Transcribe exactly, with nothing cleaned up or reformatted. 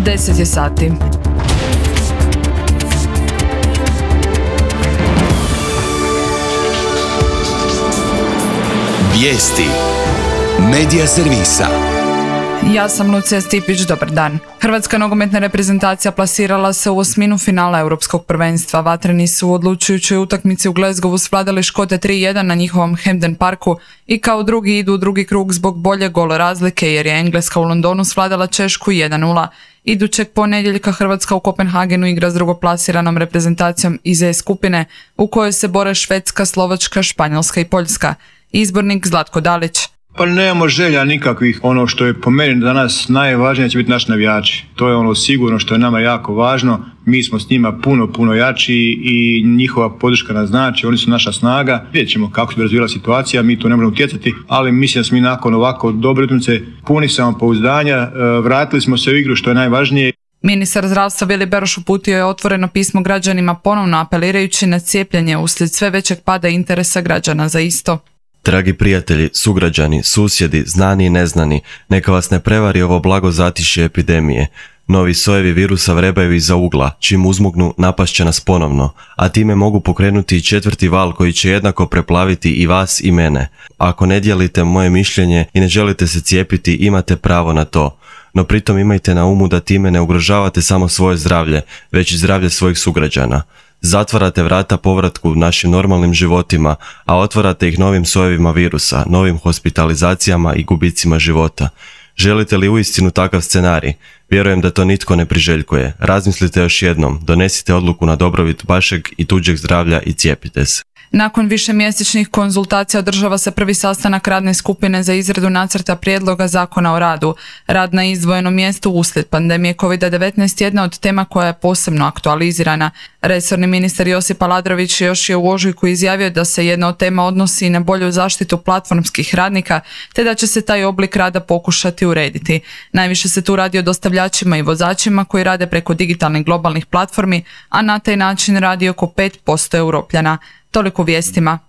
deset je sati. Vijesti Medija servisa. Ja sam Lucija Stipić, dobar dan. Hrvatska nogometna reprezentacija plasirala se u osminu finala Europskog prvenstva. Vatreni su u odlučujućoj utakmici u Glasgowu svladali Škote tri jedan na njihovom Hampden Parku i kao drugi idu u drugi krug zbog bolje gol razlike jer je Engleska u Londonu svladala Češku jedan nula. Idućeg ponedjeljka Hrvatska u Kopenhagenu igra s drugoplasiranom reprezentacijom iz E skupine u kojoj se bore Švedska, Slovačka, Španjolska i Poljska. Izbornik Zlatko Dalić. Pa nemamo želja nikakvih. Ono što je po meni danas najvažnije će biti naši navijači. To je ono sigurno što je nama jako važno. Mi smo s njima puno, puno jači i njihova podrška nas znači. Oni su naša snaga. Vidjet ćemo kako se razvijela situacija, mi to ne možemo utjecati, ali mislim da smo mi nakon ovako dobre utakmice puni samopouzdanja. Vratili smo se u igru što je najvažnije. Ministar zdravstva Vili Beroš uputio je otvoreno pismo građanima ponovno apelirajući na cijepljenje uslijed sve većeg pada interesa građana za isto. Dragi prijatelji, sugrađani, susjedi, znani i neznani, neka vas ne prevari ovo blago zatišje epidemije. Novi sojevi virusa vrebaju iza ugla, čim uzmugnu napašće nas ponovno, a time mogu pokrenuti i četvrti val koji će jednako preplaviti i vas i mene. Ako ne dijelite moje mišljenje i ne želite se cijepiti, imate pravo na to. No pritom imajte na umu da time ne ugrožavate samo svoje zdravlje, već i zdravlje svojih sugrađana. Zatvarate vrata povratku našim normalnim životima, a otvarate ih novim sojevima virusa, novim hospitalizacijama i gubicima života. Želite li uistinu takav scenarij? Vjerujem da to nitko ne priželjkuje. Razmislite još jednom, donesite odluku na dobrobit vašeg i tuđeg zdravlja i cijepite se. Nakon višemjesečnih konzultacija održava se prvi sastanak radne skupine za izradu nacrta prijedloga zakona o radu. Rad na izdvojenom mjestu uslijed pandemije kovid devetnaest jedna od tema koja je posebno aktualizirana. Resorni ministar Josip Aladrović još je u ožujku izjavio da se jedna od tema odnosi i na bolju zaštitu platformskih radnika, te da će se taj oblik rada pokušati urediti. Najviše se tu radi o dostavljačima i vozačima koji rade preko digitalnih globalnih platformi, a na taj način radi oko pet posto Europljana. Toliko vijestima.